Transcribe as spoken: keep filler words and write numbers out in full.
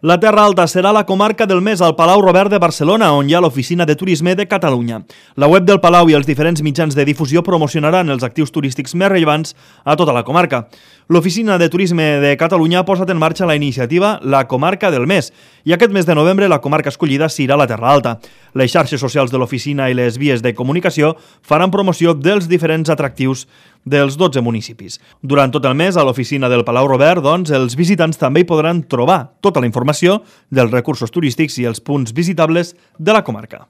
La Terra Alta serà la comarca del mes al Palau Robert de Barcelona, on hi ha l'Oficina de Turisme de Catalunya. La web del Palau i els diferents mitjans de difusió promocionaran els actius turístics més rellevants a tota la comarca. L'Oficina de Turisme de Catalunya ha posat en marxa la iniciativa La Comarca del Mes i aquest mes de novembre la comarca escollida serà la Terra Alta. Les xarxes socials de l'oficina i les vies de comunicació faran promoció dels diferents atractius dels dotze municipis. Durant tot el mes, a l'oficina del Palau Robert, doncs, els visitants també hi podran trobar tota la informació dels recursos turístics i els punts visitables de la comarca.